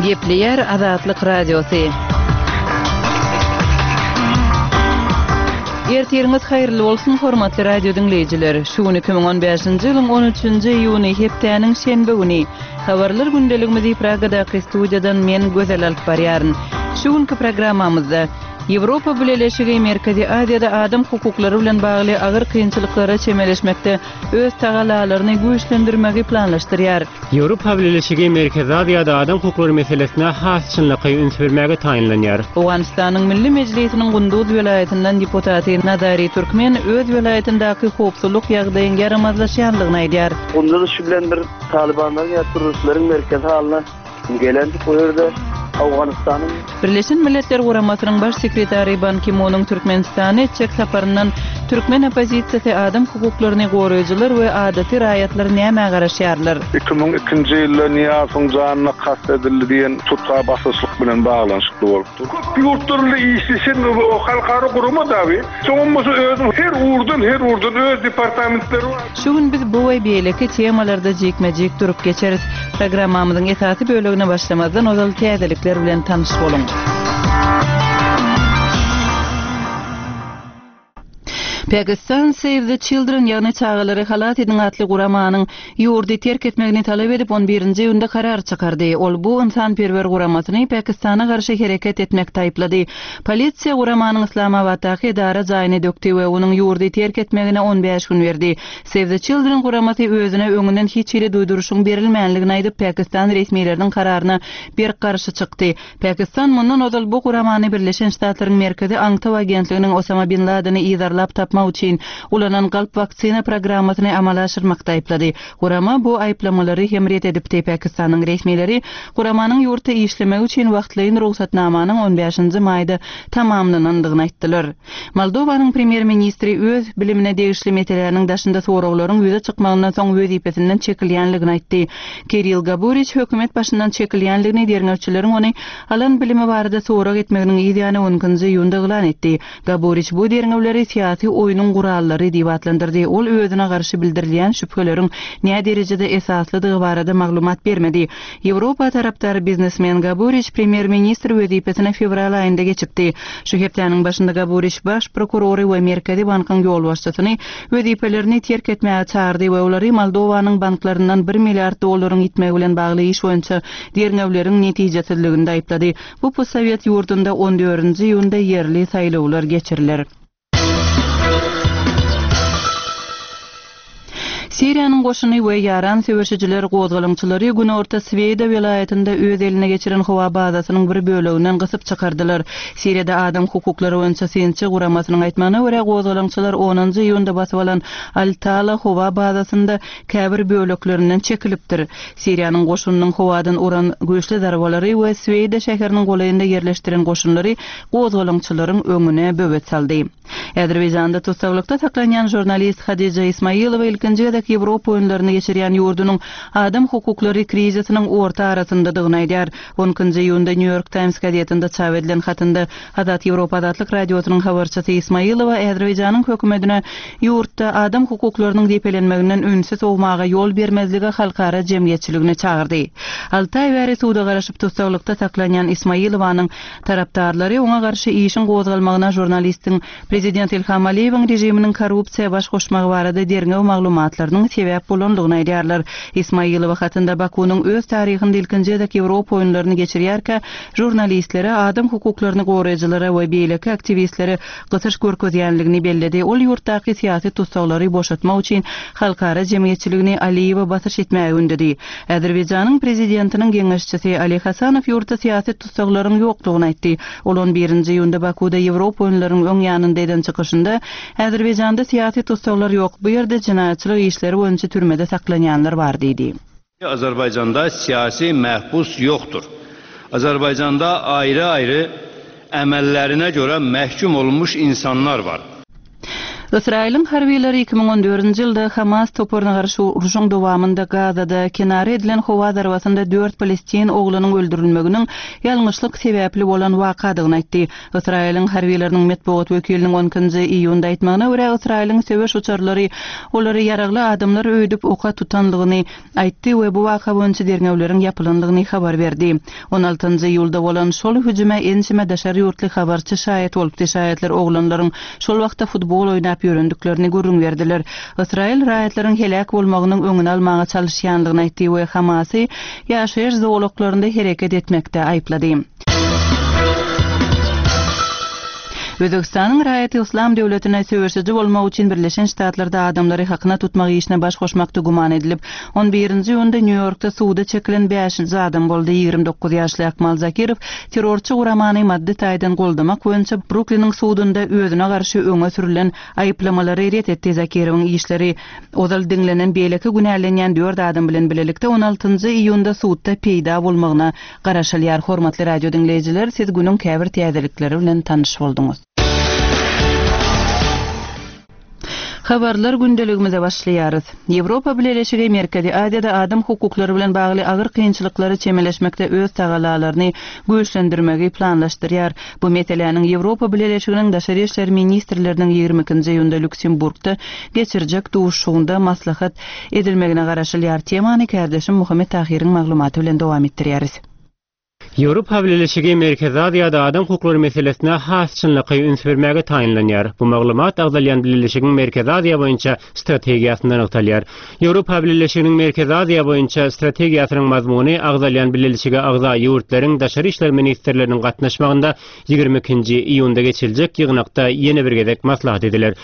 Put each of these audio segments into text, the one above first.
Gepleýär Azatlyk Radiosy. Ertiriňiz haýyrly bolsun, hormatly radio diňleýjiler! Şu gün 2015-nji ýylyň 13-nji iýuny, hepdäniň şenbe güni. Habarlar gündeligimizi Pragadaky studiýadan men Gözel alyp barýaryn. Şu günki programmamyzda Ýewropa Bileleşigi Merkezi Aziýada adam hukuklary bilen bagly agyr kynçylyklara çemeleşmekde öz tagallalaryny güýçlendirmegi planlaşdyrýar. Ýewropa Bileleşigi Merkezi Aziýada adam hukuklary meselesine has çynlakaý üns bermäge taýynlanýar. Owganystanyň Milli Mejlisiniň Gunduz welaýatyndan deputaty Nazari Türkmen öz welaýatyndaky howpsuzlyk ýagdaýyň ýaramazlaşýanlygyny aýdýar. Gunduz şu bilen bir talybanlaryň ýa terroristleriň merkezi halyna Gelendik bu ýerde Owganystanyň. Birleşen Milletler Guramasynyň Baş sekretary Ban Ki-munyň Türkmenistana etjek saparyndan türkmen oppozisiýasy, adam hukuklaryny goraýjylar we adaty raýatlar nämä garaşýarlar? 2002-nji ýylda Nyýazowyň janyna kast edildi diýen tutga basyşlyk bilen baglanyşykly bolupdyr. Köp ýurtlar bilen işleşen halkara gurama dagy. Soňam bolsa özüniň her ugurdan, her ugurdan öz departamentleri bar. Şu gün biz bu we beýleki temalarda jikme-jik durup geçeris. Programmamyzyň esasy bölegine başlamazdan ozal täzelikler bilen tanyş boluň. Pakistan Save the Children ýagny Çagalary halas ediň atly guramanyň ýurdy terk etmegini talap edip on birinji iýunda karar çykardy. Ol bu ynsanperwer guramasyny Pakistana garşy hereket etmekde aýyplady. Polisiýa guramanyň Yslamabatdaky edara jaýyny dökdi we onuň ýurdy terk etmegine 15 gün berdi. Save the Children guramasy özüne öňünden hiç hili duýduryşyň berilmänligini aýdyp, Pakistan resmileriniň kararyna berk garşy çykdy. Pakistan mundan ozal bu guramany Birleşen Ştatlaryň Merkezi aňtaw agentliginiň Osama bin Ladeni yzarlap tapmak üçin ulanan galp waksina programmasyny amala aşyrmakda aýyplady. Gurama bu aýyplamalary hem ret edipdi. Pakistanyň resmileri guramanyň ýurtda işlemegi üçin wagtlaýyn rugsatnamanyň on bäşinji maýda tamamlanandygyny aýtdylar. Moldowanyň premýer-ministri öz bilimine degişli meseläniň daşynda soraglaryň ýüze çykmagyndan soň wezipesinden çekilýänligini aýtdy. Kirill Gaburiç hökümet başyndan çekilýänligini derňewçileriň ony alan bilimi barada sorag etmeginiň yz ýany on ikinji iýunda yglan etdi. Gaburiç bu derňewleri syýasy oýnuň gurallary diýip atlandyrdy. Ol özüne garşy bildirilýän şübheleriň näderejede esaslydygy barada maglumat bermedi. Ýewropa tarapdary biznesmen Gaburiç premýer-ministr wezipesine fewral aýynda geçipdi. Şu hepdäniň başynda Gaburiç baş prokurory we Merkezi bankyň ýolbaşçysyny wezipelerini terk etmäge çagyrdy we olary Moldowanyň banklaryndan bir milliard dollaryň ýitmegi bilen bagly iş boýunça derňewleriň netijesizliginde aýyplady. Bu postsowet ýurdunda on dördünji iýunda ýerli saýlawlar geçiriler. Siriýanyň goşuny we ýaran söweşijiler gozgalaňçylary günorta Sweýda welaýatynda öz eline geçiren howa bazasynyň bir böleginden gysyp çykardylar. Siriýada adam hukuklary boýunça synçy guramasynyň aýtmagyna görä, gozgalaňçylar onunjy iýunda basyp alan Al-Tala howa bazasynda käbir böleklerinden çekilipdir. Siriýanyň goşunynyň howadan uran güýçli zarbalary we Sweýda şäheriniň golaýynda ýerleşdiren goşunlary gozgalaňçylaryň öňüne böwet saldy. Azerbaýjanda tussaglykda saklanýan žurnalist Hadija Ismaýilowa ilkinji gezek Ýewropa oýunlaryny geçirýän ýurdunyň adam hukuklary krizisiniň orta arasyndadygyny aýdýar. On ikinji iýunda New York Times gazetinde çap edilen hatynda Azat Ýewropa Azatlyk Radiosynyň habarçysy Ismaýilowa Azerbaýjanyň hökümetine ýurtda adam hukuklarynyň depelenmeginden ünsi sowmaga ýol bermezlige halkara jemgyýetçiligini çagyrdy. Alty aý bäri suda garaşyp tussaglykda saklanýan Ismaýilowanyň tarapdarlary oňa garşy işiň gozgalmagyna žurnalistiň prezident Ilham Aliýewiň režiminiň korrupsiýa baş goşmagy barada derňew maglumatlarynyň sebäp bolandygyny aýdýarlar. Ismaýilowa hatynda Bakunyň öz taryhynda ilkinji gezek Ýewropa oýunlaryny geçirýärkä žurnalistlere, adam hukuklaryny goraýjylara we beýleki aktiwistlere gysyş görkezýänligini belledi. Ol ýurtdaky syýasy tussaglary boşatmak üçin halkara jemgyýetçiligini Aliýewe basyş etmäge ündedi. Azerbaýjanyň prezidentiniň geňeşçisi Ali Hasanow ýurtda syýasy tussaglaryň ýokdugyny aýtdy. Ol on birinji iýunda Bakuda Ýewropa oýunlarynyň öň ýanynda eden çykyşynda, Azerbaýjanda syýasy tussaglar ýok, bu ýerde jenaýatçylyk işleri boýunça türmede saklanýanlar bar diýdi. Azerbaýjanda syýasy məhbus ýokdur. Azerbaýjanda aýry-aýry əməllərinə görə məhkum olunmuş insanlar var. Ysraýylyň harbylary 2014-nji ýylda Hamas toparyna garşy urşuň dowamynda Gazada kenara edilen howa zarbasynda dört palestin oglunyň öldürilmeginiň ýalňyşlyk sebäpli bolan wakadygyny aýtdy. Ysraýylyň harbylarynyň metbugat wekiliniň on ikinji iýunda aýtmagyna görä, Ysraýylyň söweş uçarlary olary ýaragly adamlar öýdüp oka tutanlygyny aýtdy we bu waka boýunça derňewleriň ýapylandygyny habar berdi. On altynjy iýulda bolan şol hüjüme ençeme daşary ýurtly habarçy şaýat bolupdy, şaýatlar oglanlaryň şol wagtda futbol oýnap ýörendiklerini gürrüň berdiler. Ysraýyl raýatlaryň heläk bolmagynyň öňüni almaga çalyşýandygyny aýtdy we Hamasy ýaşaýyş zolaklarynda hereket etmekde aýyplady. Özbegistanyň raýaty Yslam döwletine söweşiji bolmak üçin Birleşen Ştatlarda adamlary hakyna tutmak işine baş goşmakda güman edilip, on birinji iýunda Nýu-Ýorkda suda çekilen bäşinji adam boldy. 29 ýaşly Akmal Zakirow terrorçy guramany maddy taýdan goldamak boýunça Brukliniň sudunda özüne garşy öňe sürülen aýyplamalary ret etdi. Zakirowyň işleri ozal diňlenen beýleki günälenýän dört adam bilen bilelikde on altynjy iýunda sudda peýda bolmagyna Garaşylýar hormatly radio diňleýjiler siz günüň käbir täzelikleri bilen tanyş bolduňyz. Habarlar gündeligimize başlaýarys. Ýewropa Bileleşigi Merkezi Aziýada adam hukuklary bilen bagly agyr kynçylyklara çemeleşmekde öz tagalalaryny güýçlendirmegi planlaşdyrýar. Bu meseläniň Ýewropa Bileleşiginiň daşary işler ministrleriniň 22-nji iýunda Lýuksemburgda geçirjek duşuşygynda maslahat edilmegine garaşylýar. Temany kärdeşim Muhammet Tahyryň maglumaty bilen dowam etdirýäris. Ýewropa Bileleşigi Merkezi Aziýada adam hukuklary meselesine has çynlakaý üns bermäge taýynlanýar. Bu maglumat agzalýan bileleşigiň Merkezi Aziýa boýunça strategiýasynda nygtalýar. Ýewropa Bileleşiginiň Merkezi Aziýa boýunça strategiýasynyň mazmuny agzalýan bileleşige agza ýurtlaryň daşary işler ministrleriniň gatnaşmagynda 22-nji iýunda geçiriljek ýygnakda ýene bir gezek maslahat ediler.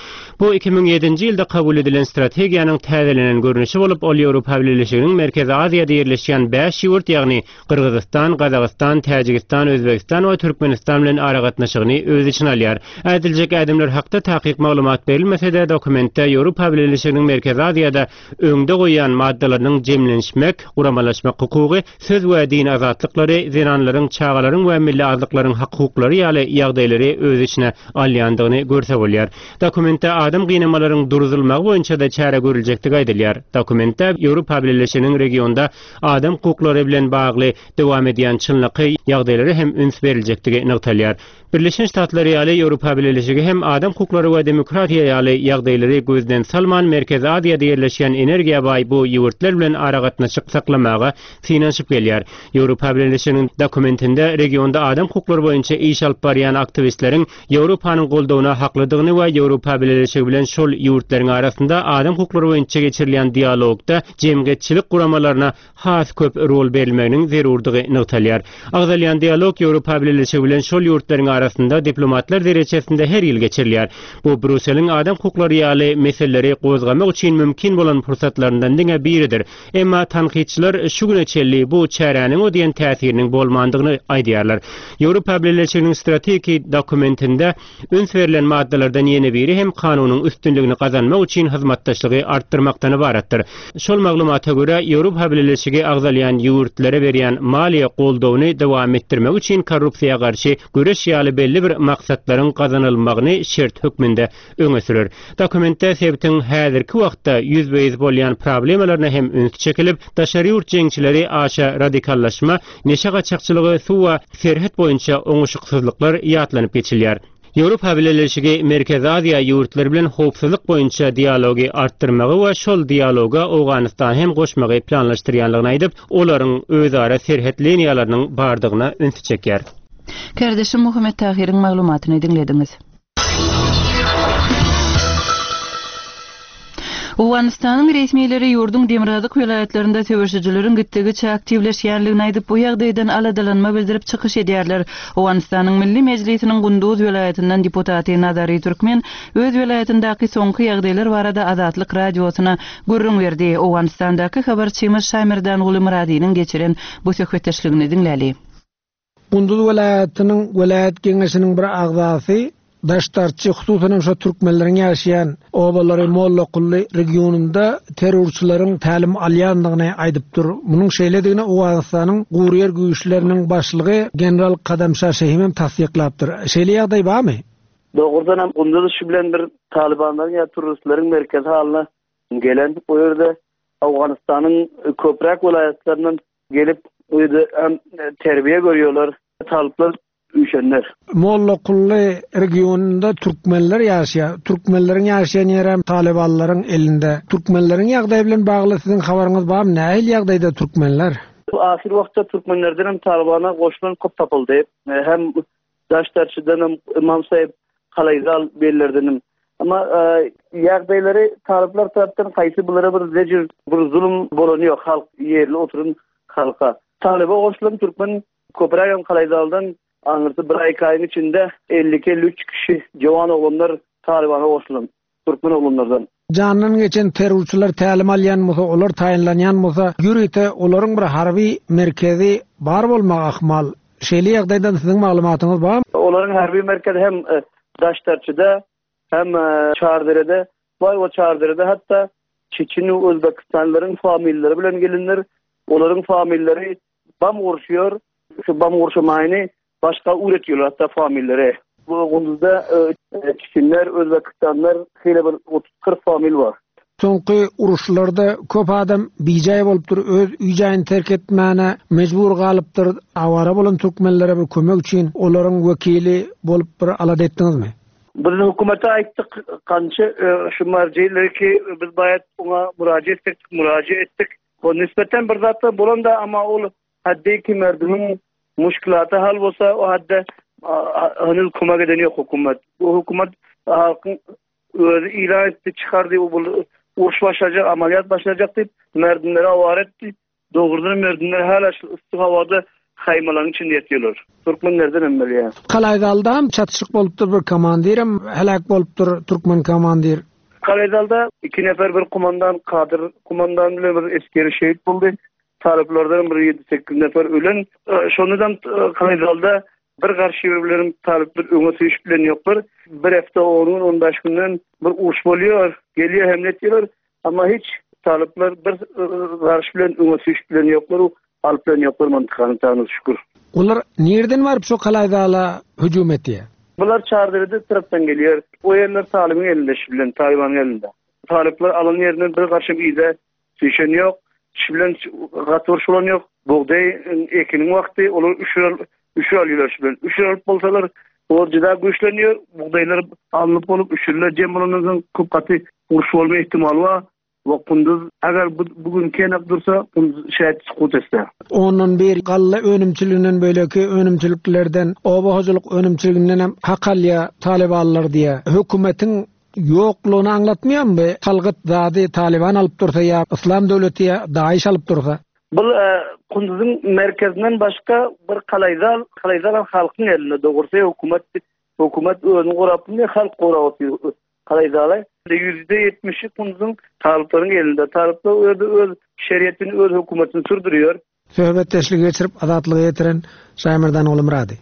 Bu 2007-nji ýylda kabul edilen strategiýanyň täzelenen görnüşi bolup, ol Ýewropa Bileleşiginiň Merkezi Aziýada ýerleşýän bäş ýurt, ýagny Gyrgyzystan, Gazagystan, Täjigistan, Özbegistan we Türkmenistan bilen aragatnaşygyny öz içine alýar. Ädiljek ädimler hakda takyk maglumat berilmese-de, dokumentde Ýewropa Bileleşiginiň Merkezi Aziýada öňde goýýan maddalarynyň jemlenişmek, guramalaşmak hukugy, söz we din azatlyklary, zenanlaryň, çagalaryň we milli azlyklaryň hak-hukuklary ýaly ýagdaýlary öz içine alýandygyny görse bolýar. Dokumentde adam gynamalaryň duruzylmagy boýunça-da çäre görüljekdigi aýdylýar. Dokumentde Ýewropa Bileleşiginiň regionda adam hukuklary bilen bagly dowam edýän çynlakaý ýagdaýlara hem üns beriljekdigi nygtalýar. Birleşen Ştatlar ýaly Ýewropa Bileleşigi hem adam hukuklary we demokratiýa ýaly ýagdaýlary gözden salman Merkezi Aziýada ýerleşýän energiýa baý bu ýurtlar bilen aragatnaşyk saklamaga synanyşyp gelýär. Ýewropa Bileleşiginiň dokumentinde regionda adam hukuklary boýunça iş alyp barýan aktiwistleriň Ýewropanyň goldawyna haklydygyny we Ýewropa Bileleşigi bilen şol ýurtlaryň arasynda adam hukuklary boýunça geçirilýän dialogda jemgyýetçilik guramalaryna has köp rol berilmeginiň zerurdygy nygtalýar. Agzalýan dialog Ýewropa Bileleşigi bilen şol ýurtlaryň arasynda diplomatlar derejesinde her ýyl geçirilýär. Bu Brýusseliň adam hukuklary ýaly meseleleri gozgamak üçin mümkin bolan pursatlaryndan diňe biridir. Emma tankytçylar şu güne çenli bu çäräniň o diýen täsiriniň bolmandygyny aýdýarlar. Ýewropa Bileleşiginiň strategiki dokumentinde Üns berlen maddalardan ýene biri hem kanunyň üstünligini gazanmak üçin hyzmatdaşlygy artdyrmakdan ybaratdyr. Şol maglumata görä, Ýewropa Bileleşigi agzalýan ýurtlara berýän maliýe goldawyny dowam etdirmek üçin korrupsiýa garşy göreş ýaly belli bir maksatlaryň gazanylmagyny şert hökmünde öňe sürer. Dokumentde sebitiň häzirki wagtda ýüzbe-ýüz bolýan problemalaryna hem üns çekilip, daşary ýurt jeňçileri aşa radikallaşma, Neşe gaçakçylygy, suw we serhet boýunça oňuşyksyzlyklar ýatlanyp geçilýär. Ýewropa Bileleşigi Merkezi Aziýa ýurtlary bilen howpsuzlyk boýunça dialogy artdyrmagy we şol dialoga Owganystany hem goşmagy planlaşdyrýanlygyny aýdyp, olaryň özara serhet liniýalarynyň bardygyna ünsi çekýär. Kärdeşim Muhammet Tahyryň maglumatyny diňlediňiz. Owganystanyň resmileri ýurduň demirgazyk welaýatlarynda söweşijileriň gitdigiçe aktiwleşýänligini aýdyp, bu ýagdaýdan aladalanma bildirip çykyş edýärler. Owganystanyň Milli Mejlisiniň Gunduz welaýatyndan deputaty Nazary Türkmen öz welaýatyndaky soňky ýagdaýlar barada Azatlyk Radiosyna gürrüň berdi. Owganystandaky habarçymyz Şamerdanguly Myradynyň geçiren bu söhbetdeşligini diňläli. Gunduz welaýatynyň welaýat geňeşiniň bir agzasy Daşdarçy, hususan hem şo türkmenleriň ýaşaýan obalary Mollakully regionynda terrorçylaryň tälim alýandygyny aýdypdyr. Munuň şeýledigini Owganystanyň guryýer güýçleriniň başlygy general Kadamşa Şehim hem tassyklapdyr. Şeýle ýagdaý barmy? Dogrudan hem Gunduz şu bilen bir talybanlaryň ýa turristleriň merkezi halyna gelen. O ýerde Owganystanyň köpräk welaýatlaryndan gelip o ýerde hem terbiýe görýärler. Talyplar üýşenler. Mollakully regionynda türkmenler ýaşaýar. Türkmenleriň ýaşaýan ýerem talybanlaryň elinde. Türkmenleriň ýagdaýy bilen bagly siziň habaryňyz barmy? Nähili ýagdaýda türkmenler? Ahyr wagtda türkmenlerden hem talybana goşulan köp tapyldy. Hem Daşdarçydan hem Ymam Saýyp Kalaýzal bellerden hem. Emma ýagdaýlary talyplar tarapdan haýsy bulara bir zejir, bir zulum bolany ýok halk ýerli oturan halka. Talyba goşulan türkmen Köprägem Kalaýzaldan aňyrsy bir aý-iki aýyň içinde 52-53 kişi jowan oglanlar Talybana goşulan, türkmen oglanlardan. Jandan geçen terrorçylar tälim alýan bolsa, olar taýynlanýan bolsa, ýörite olaryň bir harby merkezi bar bolmagy ahmal. Şeýle ýagdaýdan siziň maglumatyňyz barmy? Olaryň harby merkezi hem Daştarçyda, hem Çarderede bar we Çarderede hatda çeçen we özbekistanlylaryň familiýalary bilen gelinler. Olaryň familiýalary Bam gurşuýar. Şu bam gurşamaýyny başga üwretýärler hatda famillere. Bu Gunduzda çiçinler, özbekistanlar şeýle bir 30-40 famil bar. Soňky uruşlarda köp adam bijaý bolupdyr, öz öý-jaýyny terk etmäne mejbur galypdyr. Awara bolan türkmenlere bir kömek üçin olaryň wekili bolup bir alada etdiňizmi? Biz hökümete aýtdyk, kança şu marjileki biz baýat oňa mürajaat etdik, mürajaat etdik. O nispeten bir zatlar bolanda amma ol hadde ki merdimiň muşkilaty hal bolsa o hadde henüz kömek eden ýok hökümet. Bu hökümet halkyň özi ilan etdi, çykardy bu uruş başlajak, amaliyat başlajak diýip merdimleri awara etdi. Dogrudan merdimler hala şu yssy howada haýmalaryň içinde ýatýarlar. Türkmenlerden hem bilýän. Kalaýzalda hem çatyşyk bolupdyr bir komandirem heläk bolupdyr türkmen komandir. Kalaýzalda iki nefer bir kumandan Kadyr kumandan bilen bir esgeri şehit boldy. Talyplardan bir ýedi-sekiz nefer ölen. Şondan Kalaýzalda bir garşy bir bilen talyplar öňe süýşüp bilen ýoklar. Bir hepde on gün, on bäş günden bir uruş bolýar. Gelýär hemle etýärler. Amma hiç talyplar bir garşy bilen öňe süýşüp bilen ýoklar. Alyp bilen ýoklar mantykany Taňry şükür. Olar nirden baryp şo Kalaýzala hüjüm etýär? Bular Çarderede tarapdan gelýär. O ýerler Talybyň elinde şu bilen, Talybanyň elinde. Talyplar alan ýerinden bir garşam yza süýşen ýok. Şu bilen gaty uruş bolan ýok. Bugdaý ekiniň wagty, olar üşür üşür alýarlar şu bilen. Üşür alyp bolsalar, olar juda güýçlenýär. Bugdaýlar alnyp bolup, üşürler jem bolandan soň köp gaty uruş bolma ihtimaly bar. We Kunduz agar bu bu gün kenak dursa Kunduz şaýat sukut etse. Ondan bir galla önümçiliginden beýleki önümçiliklerden, oba hojalyk önümçiliginden hem hak alýar talybanlar diýýär. Hökümetiň ýoklugyny aňlatmaýarmy bu? Salgyt zady talyban alyp dursa ýa Yslam döwleti ýa DAIŞ alyp dursa. Bul Kunduzyň merkezinden başga bir kalaýzal, kalaýzal hem halkyň elinde dogrusy hökümet hökümet özüni gorap bilmeýär halk gorap otyr. Kalaýzala ýüzde ýetmişi Kunduzyň talyplaryň elinde. Talyplar o ýerde öz şeriatini, öz hökümetini sürdürýär. Söhbetdeşligi geçirip Azatlyga ýetiren Şaýmerdan Ogulmyrady.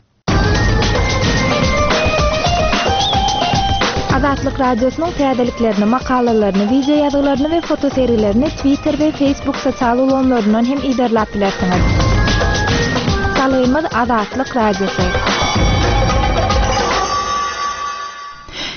Azatlyk Radiosynyň täzeliklerini, makalalaryny, wideo ýazgylaryny we fotosergilerini Twitter we Facebook sosial ulgamlaryndan hem yzarlap bilersiňiz. Salgymyz Azatlyk Radiosy.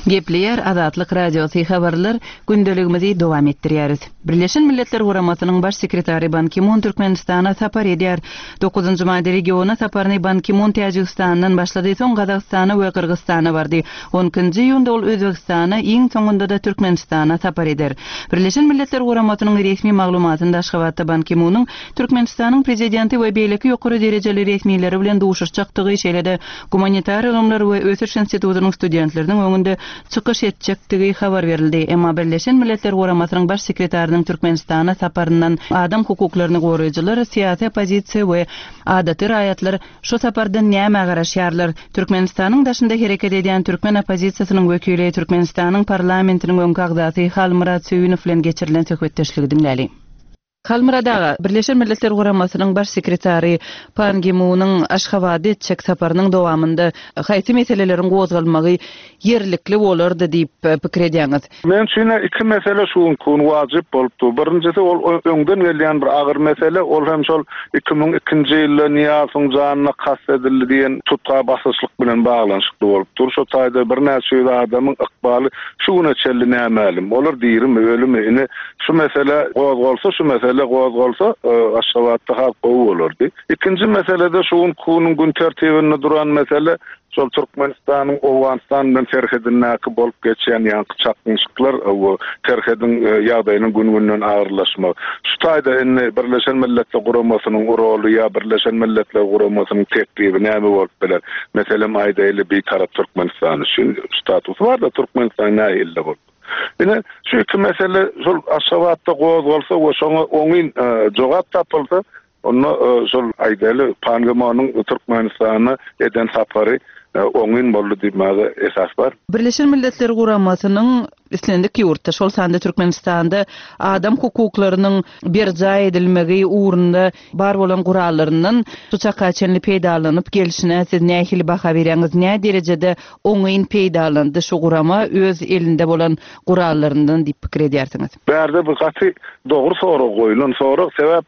Gepleýär Azatlyk Radiosy habarlar gündeligimizi dowam etdirýäris. Birleşen Milletler Guramasynyň Baş sekretary Ban Ki-mun Türkmenistana sapar edýär. Dokuzynjy maýda regiona saparyny Ban Ki-mun Täjigistandan başlady, soň Gazagystana we Gyrgyzystana bardy. On ikinji iýunda ol Özbegistana, iň soňunda-da Türkmenistana sapar eder. Birleşen Milletler Guramasynyň resmi maglumatynda Aşgabatda Ban Ki-munyň Türkmenistanyň Prezidenti we beýleki ýokary derejeli resmileri bilen duşuşjakdygy, şeýle-de Gumanitar ylymlar we ösüş institutynyň studentleriniň öňünde çykyş etjekdigi habar berildi. Emma Birleşen Milletler Guramasynyň Baş sekretarynyň Türkmenistana saparyndan adam hukuklaryny goraýjylar, syýasy oppozisiýa we adaty raýatlar şu sapardan nämä garaşýarlar? Türkmenistanyň daşynda hereket edýän türkmen oppozisiýasynyň wekili, Türkmenistanyň parlamentiniň öňki agzasy Halmyrat Söýünow bilen geçirilen söhbetdeşligi diňläliň. Halmyrat aga, Birleşen Milletler Guramasynyň Baş sekretary Pan Gi Munyň Aşgabada etjek saparynyň dowamynda haýsy meseleleriň gozgalmagy ýerlikli bolardy diýip pikir edýäňiz? Meň üçin-ä iki mesele şu günki gün wajyp bolup dur. Birinjisi ol öňden gelýän bir agyr mesele, ol hem şol 2002-nji ýylda Nyýazowyň janyna kast edildi diýen tutga basyşlyk bilen baglanyşykly bolup dur. Şo taýda birnäçe ýüz adamyň ykbaly şu güne çenli nämälim. Olar dirimi, ölümi? Ine, şu mesele gozgalsa, şu mesele gozgalsa, Aşgabatda has gowy bolardy. Ikinji mesele-de şu günki günüň gün tertibinde duran mesele, Şol Türkmenistanyň Owganystan bilen serhedindäki bolup geçýän ýaňky çaknyşyklar we serhediň ýagdaýynyň gün-günden agyrlaşmagy. Şu taýda indi Birleşen Milletler Guramasynyň roly ýa Birleşen Milletler Guramasynyň teklibi näme bolup biler? Meselem aýdaýly Bitarap Türkmenistan üçin statusy bar-da Türkmenistan nähili bolup. Ine şu iki mesele şol Aşgabatda gozgalsa we şoňa oňyn jogap tapylsa Onda şol aýdaly Pan Gi Monyň Türkmenistana eden sapary oňyn boldy diýmäge esas bar. Birleşen Milletler Guramasynyň islendik ýurtda, şol sanda Türkmenistanda adam hukuklarynyň berjaý edilmegi ugrunda bar bolan gurallaryndan şu çaka çenli peýdalanyp gelşine siz nähili baha berýäňiz? Nä derejede oňyn peýdalandy şu gurama öz elinde bolan gurallaryndan diýip pikir edýärsiňiz? Bärde bu gaty dogry sorag goýulan sorag, sebäp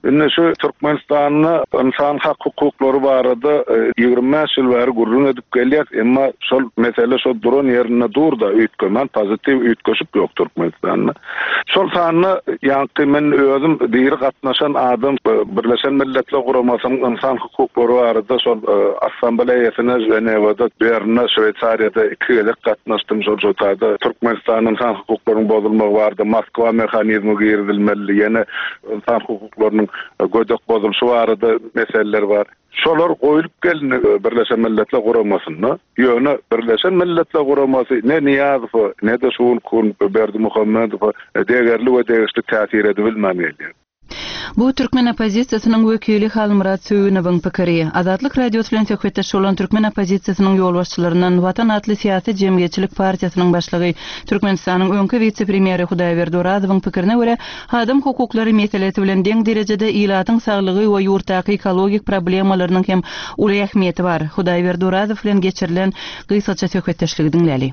Indi şu Türkmenistanda ynsan hak-hukuklary barada 25 ýyl bäri gürrüň edip gelýäs, emma şol mesele şo duran ýerinde dur-da, üýtgemän, pozitiw üýtgeşik ýok Türkmenistanda. Şol sanda ýaňky men özüm diri gatnaşan adam Birleşen Milletler Guramasynyň ynsan hukuklary barada şol Assambleýasyna Ženewada, Bernde, Şweýsariýada iki gezek gatnaşdym. Şol şo taýda Türkmenistanda ynsan hukuklarynyň bozulmagy barada Moskwa mehanizmi girizilmelidi, ýene ynsan hukuklarynyň gödek bozulyşy barada meseleler bar. Şolar goýlup gelindi Birleşen Milletler Guramasynda. Ýöne Birleşen Milletler Guramasy ne Nyýazowa, ne-de şu günki gün Berdimuhamedowa degerli we degişli täsir edibilmän gelýär. Bu türkmen oppozisiýasynyň wekili Halmyrat Söýünowyň pikiri. Azatlyk Radiosy bilen söhbetdeş bolan türkmen oppozisiýasynyň ýolbaşçylaryndan Watan atly syýasy-jemgyýetçilik partiýasynyň başlygy, Türkmenistanyň öňki wise-premýeri Hudaýberdi Orazowyň pikirine görä, Adam hukuklary meselesi bilen deň derejede ilatyň saglygy we ýurtdaky ekologik problemalarynyň hem uly ähmiýeti bar. Hudaýberdi Orazow bilen geçirilen gysgaça söhbetdeşligi diňläli.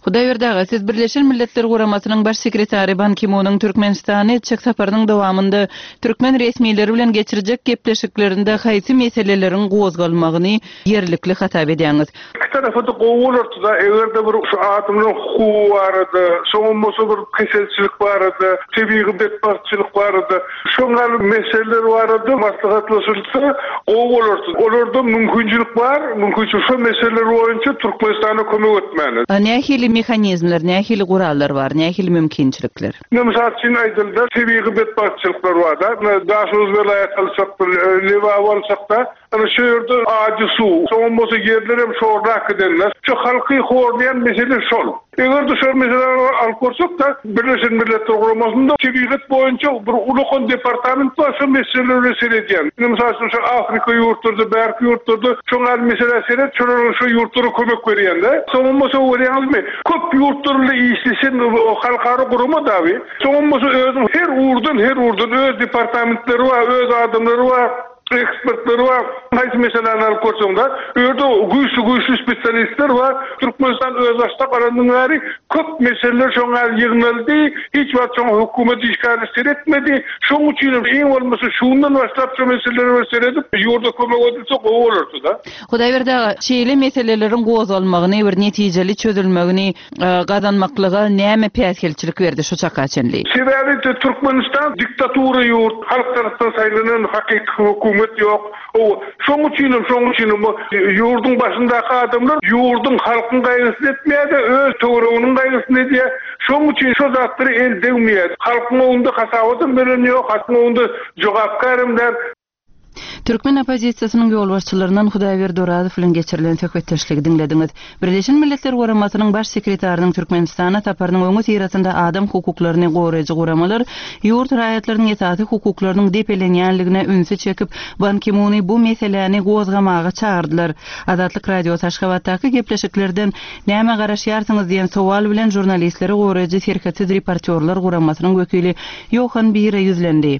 Hudaýberdi aga, siz Birleşen Milletler Guramasynyň Baş sekretary Ban Ki-munyň Türkmenistana etjek saparynyň dowamynda türkmen resmileri bilen geçirjek gepleşiklerinde haýsy meseleleriň gozgalmagyny ýerlikli hasap edýäňiz? Iki tarapa-da gowy bolardy-da, eger-de bir şu adamlaryň hukugy barada, soňam bolsa bir keselçilik barada, tebigy betbagtçylyk barada, şoň ýaly meseleler barada maslahatlaşylsa gowy bolardy. Olarda mümkinçilik bar, mümkinçilik şo meseleler boýunça Türkmenistana kömek etmäne. Nähili mehanizmler, nähili gurallar bar, nähili mümkinçilikler? Ine, mysal üçin aýdylda, tebigy betbagtçylyklar bar-da. Ine, Daşoguz welaýaty alsak, Lebaby alsak-da, Ana şu ýerde ajy suw, soňam bolsa ýerlerem şorrak gidenler. Şu halky horlaýan mesele şol. Eger-de şol meseläni alyp görsek-de, Birleşen Milletler Guramasynda tebigat boýunça bir ulakan departament bar, şo meselelere seredýän. Ine, mysal üçin, şu Afrika ýurtlarda, bärki ýurtlarda şoň ýaly meselä seret, şolara şo ýurtlara kömek berýän-de. Soňam bolsa görýäňizmi, köp ýurtlar bilen işleşen halkara gurama dagy. Soňam bolsa özüniň her ugurdan, her ugurdan öz departamentleri bar, öz adamlary bar. Ekspertler bar. Haýsy meseläni alyp görseň-de, bu ýerde güýçli-güýçli spesialistler bar. Türkmenistan özbaşdak alandan bäri köp meseleler şoň ýaly ýygnaldy. Hiç wagt şoňa hökümet işgäri seretmedi. Şoň üçin hem iň bolmasa şundan başlap şu meselelere bir seredip, ýurda kömek edilse gowy bolardy-da. Hudaýberdi aga, şeýle meseleleriň gozgalmagyny, bir netijeli çözülmegini gazanmaklyga näme päsgelçilik berdi şu çaka çenli? Sebäbi Türkmenistan diktatura ýurt, halk tarapdan saýlanan hakyky hökümet ýok. Hawa, şoň üçinem, şoň üçinem bu ýurduň başyndaky adamlar ýurduň, halkyň gaýgysyny etmeýär-de, öz töwereginiň gaýgysyny edýär. Şoň üçin şo zatlara el degmeýär. Halkyň öňünde hasabatam beren ýok, halkyň öňünde jogapkärem däl. Türkmen oppozisiýasynyň ýolbaşçylaryndan Hudaýberdi Orazow bilen geçirilen söhbetdeşligi diňlediňiz. Birleşen Milletler Guramasynyň Baş sekretarynyň Türkmenistana saparynyň öňüsyrasynda adam hukuklaryny goraýjy guramalar ýurt raýatlarynyň esasy hukuklarynyň depelenýänligine ünsi çekip, Ban Ki-muny bu meseläni gozgamaga çagyrdylar. Azatlyk Radiosy Aşgabatdaky gepleşiklerden nämä garaşýarsyňyz diýen sowal bilen žurnalistleri goraýjy Serhetsiz reportýorlar guramasynyň wekili Ýohan Bire ýüzlendi.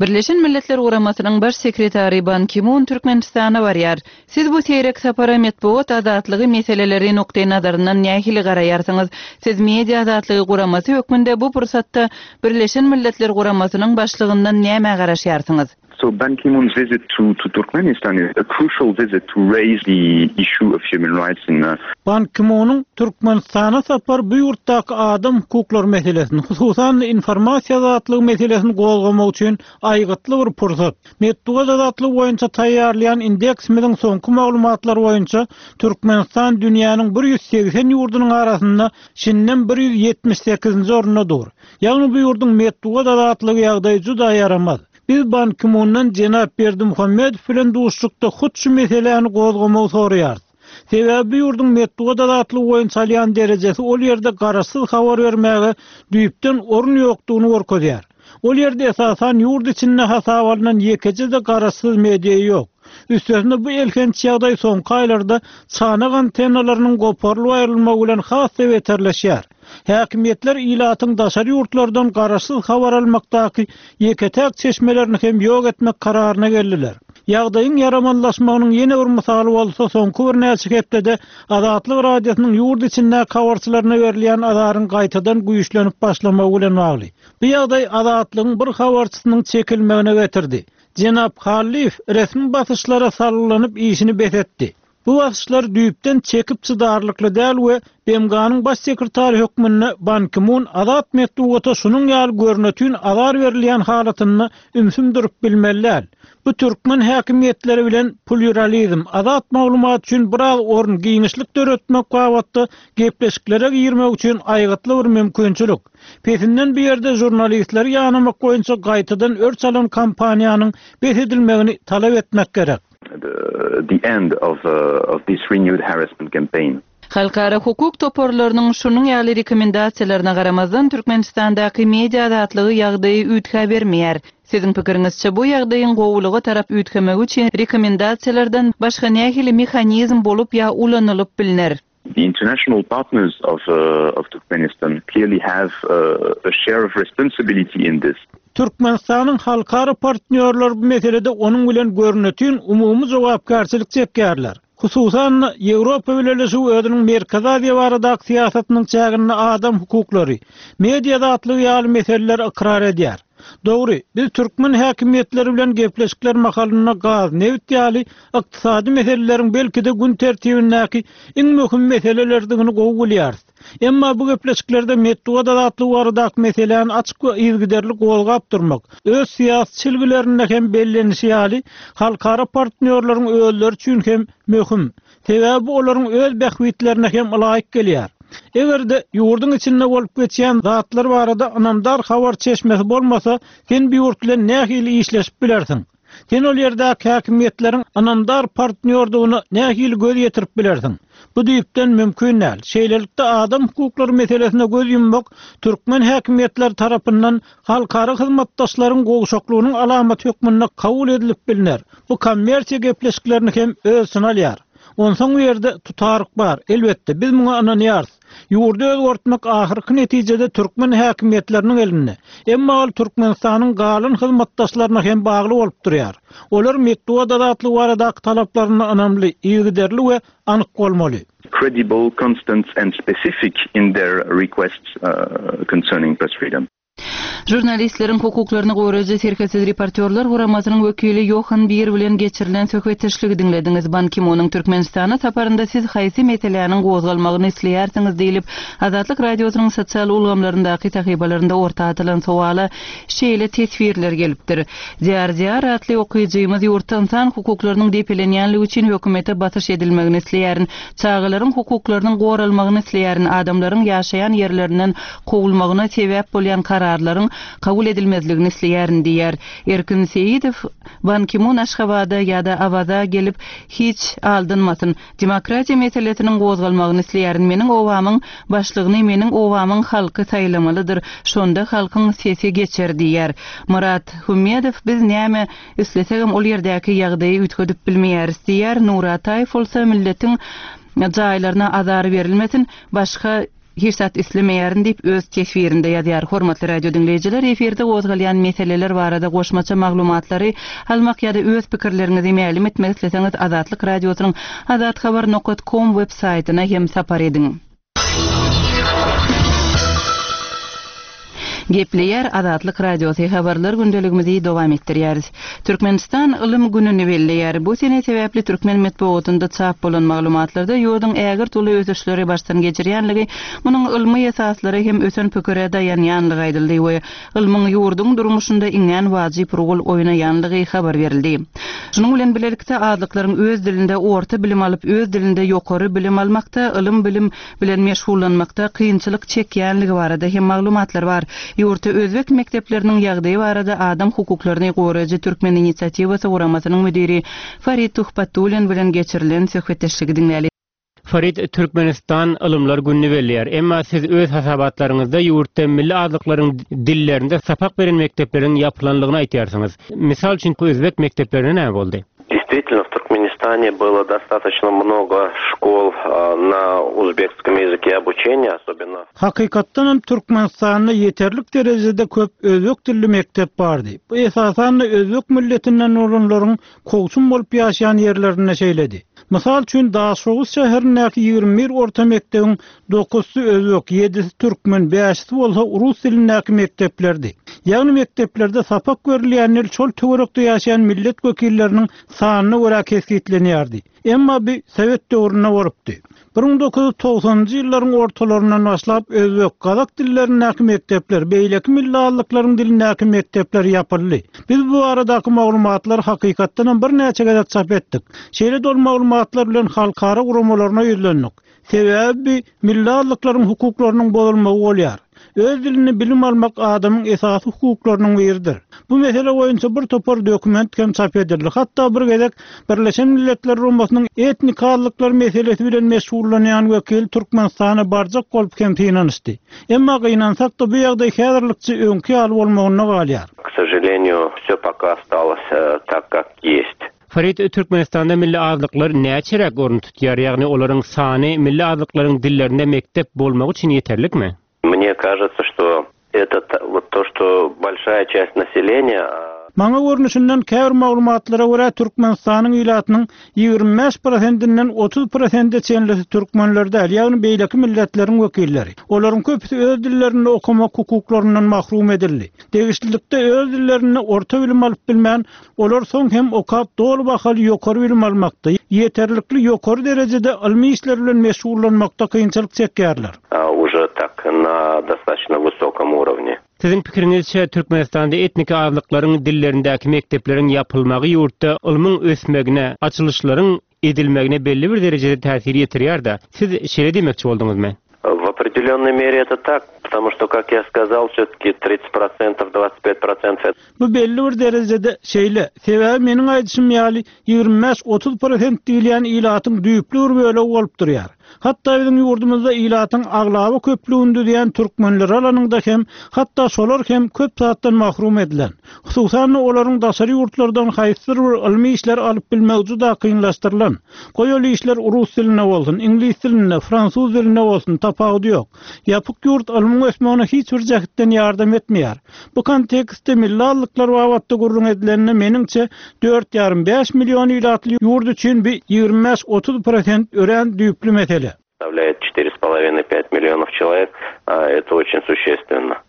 Birleşen Milletler Guramasynyň Baş sekretary Ban Ki-mun Türkmenistana barýar. Siz bu seýrek sapara metbugat azatlygy meseleleri nukdaýnazaryndan nähili garaýarsyňyz? Siz Media azatlygy guramasy hökmünde bu pursatda Birleşen Milletler Guramasynyň başlygyndan nämä garaşýarsyňyz? So Ban Ki-moon's visit to to Turkmenistan is a crucial visit to raise the issue of human rights in Ban Ki-munyň Türkmenistana sapary bu ýurtdaky adam hukuklary meselesini, hususan-da informasiýa azatlygy meselesini gozgamak üçin aýgytly bir pursat. Metbugat azatlygy boýunça taýýarlaýan indeksimiziň soňky maglumatlary boýunça Türkmenistan dünýäniň 180 ýurdunyň arasynda şindem 178-nji orunda dur. Ýagny bu ýurduň metbugat azatlygy ýagdaýy juda ýaramaz. Biz Ban Ki-mundan jenap Berdimuhamedow bilen duşuşykda hut şu meseläni gozgamagy soraýarys. Sebäbi bu ýurduň metbugat azatlygy boýunça alýan derejesi ol ýerde garaşsyz habar bermäge düýpden orun ýokdugyny görkezýär. Ol ýerde esasan ýurt içinde hasaba alnan ýekeje-de garaşsyz media ýok. Üstesine bu elhenç ýagdaý soňky aýlarda çanak antennalarynyň goparylyp aýrylmagy bilen has-da beterleşýär. Häkimiýetler ilatyň daşary ýurtlardan garaşsyz habar almakdaky ýeke-täk çeşmelerini hem ýok etmek kararyna geldiler. Ýagdaýyň ýaramazlaşmagynyň ýene bir mysaly bolsa soňky birnäçe hepdede Azatlyk Radiosynyň ýurt içindäki habarçylaryna berilýän azaryň gaýtadan güýçlenip başlamagy bilen bagly. Bu ýagdaý Azatlygyň bir habarçysynyň çekilmegine getirdi. Jenap Hallyýew resmi basyşlara salgylanyp işini bes etdi. Bu basyşlar düýpden çekip çydarlykly däl we BMG-niň Baş sekretary hökmünde Ban Ki-mun azat metbugata şunuň ýaly görnetin azar berilýän halatynda ümsüm durup bilmeli däl. Bu türkmen häkimiýetleri bilen plýuralizm, azat maglumat üçin biraz orun, giňişlik döretmek babatda gepleşiklere girmek üçin aýgytly bir mümkinçilik. Pesinden bu ýerde žurnalistleri ýanamak boýunça gaýtadan örç alan kampaniýanyň bes edilmegini talap etmek gerek. the end of of this renewed harassment campaign. Halkara hukuk toparlarynyň şunuň ýaly rekomendasiýalaryna garamazdan, Türkmenistandaky media azatlygy ýagdaýy üýtgäbermeýär. Siziň pikiriňizçe, bu ýagdaýyň gowulyga tarap üýtgemegi üçin rekomendasiýalardan başga nähili mehanizm bolup ýa ulanylyp bilner? The international partners of of Turkmenistan clearly have a share of responsibility in this. Türkmenistanyň halkara partnýorlary bu meselede onuň bilen görnetin umumy jogapkärçilik çekýärler. Hususan-da, Ýewropa Bileleşigi özüniň Merkezi Aziýa baradaky syýasatynyň çäginde adam hukuklary, media azatlygy ýaly meseleleri ykrar edýär. Dogry, biz türkmen häkimiýetleri bilen gepleşikler mahalynda gaz, nebit ýaly ykdysady meseleleriň belki-de gün tertibindäki iň möhüm meselelerdigini gowy bilýäris. Emma bu gepleşiklerde metbugat azatlygy baradaky meseläni açyk we yzygiderli gozgap durmak, öz syýasy çelgilerinde hem bellenişi ýaly, halkara partnýorlaryň özleri üçin hem möhüm. Sebäbi bu olaryň öz bähbitlerine hem ylaýyk gelýär. Eger-de ýurduň içinde bolup geçýän zatlar barada ynamdar habar çeşmesi bolmasa, sen bu ýurt bilen nähili işleşip bilersiň? Sen ol ýerdäki häkimiýetleriň ynamdar partnýordygyna nähili göz ýetirip bilersiň? Bu düýpden mümkin däl. Şeýlelikde, adam hukuklary meselesine göz ýummak türkmen häkimiýetleri tarapyndan halkara hyzmatdaşlaryň gowşaklygynyň alamaty hökmünde kabul edilip bilner. Bu kommersiýa gepleşiklerini hem öz içine alýar. Onsoň bu ýerde tutaryk bar. Elbetde, biz muňa ynanýarys. Ýurdy özgertmek ahyrky netijede türkmen häkimiýetleriniň elinde. Emma ol Türkmenistanyň galan hyzmatdaşlaryna hem bagly bolup durýar. Olar metbugat azatlygy baradaky talaplarynda ynamly, yzygiderli we anyk bolmaly. Credible, constant and specific in their requests concerning press freedom. Žurnalistleriň hukuklaryny goraýjy Serhetsiz reportýorlar guramasynyň wekili Ýohan Bir bilen geçirilen söhbetdeşligi diňlediňiz. Ban Ki-munyň Türkmenistana saparynda siz haýsy meseläniň gozgalmagyny isleýärsiňiz diýlip, Azatlyk Radiosynyň sosial ulgamlaryndaky sahypalarynda orta atylan sowala şeýle teswirler gelipdir. Diýar Diýar atly okyjymyz ýurtda ynsan hukuklarynyň depelenýänligi üçin hökümete basyş edilmegini isleýärin. Çagalaryň hukuklarynyň goralmagyny isleýärin. Adamlaryň ýaşaýan ýerlerinden kowulmagyna sebäp bolýan kararlaryň. kanunynyň kabul edilmezligini isleýärin diýýär. Erkin Seýidow Ban Ki-mun Aşgabada ýa-da Awaza gelip hiç aldanmasyn. Demokratiýa meselesiniň gozgalmagyny isleýärin. Meniň obamyň başlygyny meniň obamyň halky saýlamalydyr. Şonda halkyň sesi geçer diýýär. Myrat Hümmedow biz näme islesegem ol ýerdäki ýagdaýy üýtgedip bilmeýäris diýýär. Nury Ataýew bolsa milletiň jaýlaryna azar berilmesin, başga Hiç zat islemeýärin diýip, öz teswirinde ýazýar. Hormatly radio diňleýjiler, efirde gozgalýan meseleler barada goşmaça maglumatlary almak ýa-da öz pikirleriňizi mälim etmek isleseňiz Azatlyk Radiosynyň azathabar nokat kom web saýtyna hem sapar ediň. Gepleýär Azatlyk Radiosy habarlar gündeligimizi dowam etdirýäris. Türkmenistan Ylym gününi belleýär. Bu sene sebäpli türkmen metbugatynda çap bolan maglumatlarda ýurduň ägirt uly ösüşleri başdan geçirýänligi, munuň ylmy esaslara hem ösen pikire daýanýanlygy aýdyldy we ylmyň ýurduň durmuşynda iňňän wajyp rol oýnaýanlygy habar berildi. Şunuň bilen bilelikde azlyklaryň öz dilinde orta bilim alyp, öz dilinde ýokary bilim almakda ylym-bilim bilen meşgullanmakda kynçylyk çekýänligi barada hem maglumatlar bar. Ýurtda özbek mekdepleriniň ýagdaýy barada adam hukuklaryny goraýjy Türkmen inisiatiwasy guramasynyň müdiri Farid Tuhbatullin bilen geçirilen söhbetdeşligi diňläli. Farid, Türkmenistan Ylymlar gününi belleýär. Emma siz öz hasabatlaryňyzda ýurtda milli azlyklaryň dillerinde sapak beren mekdepleriň ýapylanlygyny aýtýarsyňyz. Mysal üçin, özbek mekdeplerine näme boldy? Действительно, в Туркменистане было достаточно много школ на узбекском языке обучения, особенно. Hakykatdan hem Türkmenistanda ýeterlik derejede köp özbek dilli mekdep bardy. Bu esasan-da özbek milletinden bolanlaryň kowçum bolup ýaşaýan ýerlerinde şeýledi. Mysal üçin, Daşoguz şäherindäki 21 orta mekdebiň Dokuzsy özbek, ýedisi türkmen, bäşisi bolsa rus dilindäki mekdeplerdi. Ýagny mekdeplerde sapak berilýän dil şol töwerekde ýaşaýan millet wekilleriniň sanyna görä kesgitlenýärdi. Emma bi sowet döwründe bolupdy. 1990-njy ýyllaryň ortalaryndan başlap özbek, gazak dillerindäki mekdepler, beýleki milli azlyklaryň dilindäki mekdepler ýapyldy. Biz bu baradaky maglumatlary hakykatdanam birnäçe gezek çap etdik. Şeýle-de ol maglumatlar bilen halkara guramalaryna ýüzlendik. Sebäbi bi milli azlyklaryň hukuklarynyň bozulmagy bolýar. Öz dilinde bilim almak adamyň esasy hukuklarynyň biridir. Bu mesele boýunça bir topar dokument hem çap edildi. Hatda bir gezek Birleşen Milletler Guramasynyň etnik azlyklar meselesi bilen meşgullanýan wekili Türkmenistana barjak bolup hem synanyşdy. Emma gynansak-da bu ýagdaý häzirlikçe öňki ýaly bolmagynda galýar. K sožaleniýu, wsё poka ostalos tak, kak ýest. Farid, Türkmenistanda milli azlyklar näçeräk orun tutýar, ýagny olaryň sany milli azlyklaryň dillerinde mekdep bolmagy üçin ýeterlikmi? Mne kažется, что это вот то, что большая часть населения. Maňa görnüşinden, käbir maglumatlara görä, Türkmenistanyň ilatynyň 25 prosentinden 30 prosente çenlisi türkmenler däl, ýagny beýleki milletleriň wekilleri. Olaryň köpüsi öz dillerinde okamak hukuklaryndan mahrum edildi. Degişlilikde öz dillerinde orta bilim alyp bilmän, Olar soň hem okap doly bahaly ýokary bilim almakda, ýeterlikli ýokary derejede ylmy işler bilen meşgullanmakda kynçylyk çekýärler. Уже tak na dostatoçno wysokom urovne. Siziň pikiriňizçe, Türkmenistanda etniki azlyklaryň dillerindäki mekdepleriň ýapylmagy ýurtda ylmyň ösmegine, açylyşlaryň edilmegine belli bir derejede täsir ýetirýär-dä. Siz şeýle diýmekçi bolduňyzmy? W opredelennoj mere eto tak, potomu çto, kak ýa skazal, wsýo-taki tridset prosentow, dwadsat pýat prosentow. Bu belli bir derejede şeýle. Sebäbi meniň aýdyşym ýaly, 25-30 prosent diýilýän ilatyň düýpli bir bölegi bolup durýar. Hatda biziň ýurdumyzda ilatyň aglaba köplügini düzýän türkmenleri alanyňda hem, hatda şolar hem köp zatdan mahrum edilen. Hususan-da, olaryň daşary ýurtlardan haýsydyr bir ylmy işleri alyp bilmegi juda kynlaşdyrylan. Goý ol işler rus dilinde bolsun, iňlis dilinde, fransuz dilinde bolsun, tapawudy ýok. Ýapyk ýurt ylmyň ösmegine hiç bir jähtden ýardam etmeýär. Bu kontekstde milli azlyklar babatda gürrüň edilende, meniňçe, dört ýarym-bäş million ilatly ýurt üçin bi 25-30 prosent örän düýpli mesele. Составляет четыре с половиной пять миллионов человек, это очень существенно.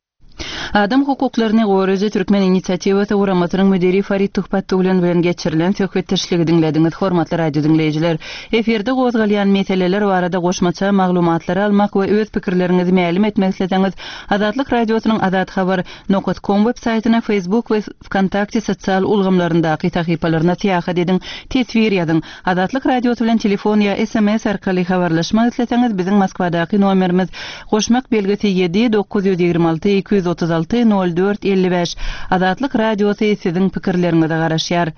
Adam hukuklaryny goraýjy Türkmen inisiatiwasy guramasynyň müdiri Farid Tuhbatullin bilen geçirilen söhbetdeşligi diňlediňiz. Hormatly radio diňleýjiler, efirde gozgalýan meseleler barada goşmaça maglumatlary almak we öz pikirleriňizi mälim etmek isleseňiz, Azatlyk Radiosynyň Azathabar. Nokat kom web saýtyna, Facebook we Wkontakte sosial ulgamlaryndaky sahypalaryna syýahat ediň, teswir ýazyň. Azatlyk Radiosy bilen telefon ýa sms arkaly habarlaşmak isleseňiz, biziň Moskwadaky nomerimiz, goşmak belgisi ýedi, 926 236. 66 04 55 Azatlyk Radiosy siziň pikirleriňize garaşýar.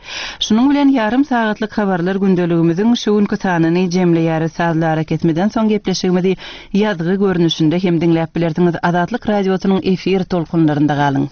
Şunuň bilen ýarym sagatlyk habarlar gündeligimiziň şu günki sanyny jemleýäris. Sazly arakesmeden soň gepleşigimizi ýazgy görnüşinde hem diňläp bilersiňiz. Azatlyk Radiosynyň efir tolkunlarynda galyň.